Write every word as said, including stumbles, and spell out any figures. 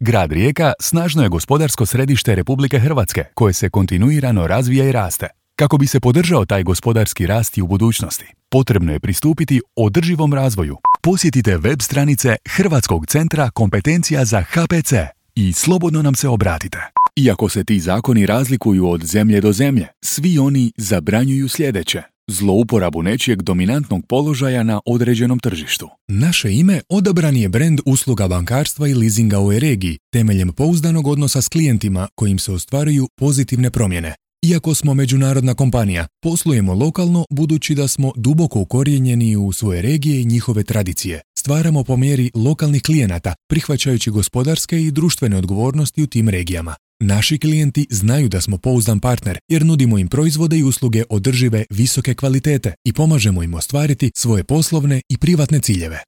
Grad Rijeka snažno je gospodarsko središte Republike Hrvatske, koje se kontinuirano razvija i raste. Kako bi se podržao taj gospodarski rast i u budućnosti, potrebno je pristupiti održivom razvoju. Posjetite web stranice Hrvatskog centra kompetencija za H P C i slobodno nam se obratite. Iako se ti zakoni razlikuju od zemlje do zemlje, svi oni zabranjuju sljedeće: zlouporabu nečijeg dominantnog položaja na određenom tržištu. Naše ime odabran je brend usluga bankarstva i leasinga u ovoj regiji, temeljem pouzdanog odnosa s klijentima kojim se ostvaruju pozitivne promjene. Iako smo međunarodna kompanija, poslujemo lokalno budući da smo duboko ukorijenjeni u svoje regije i njihove tradicije. Stvaramo po mjeri lokalnih klijenata, prihvaćajući gospodarske i društvene odgovornosti u tim regijama. Naši klijenti znaju da smo pouzdan partner jer nudimo im proizvode i usluge održive visoke kvalitete i pomažemo im ostvariti svoje poslovne i privatne ciljeve.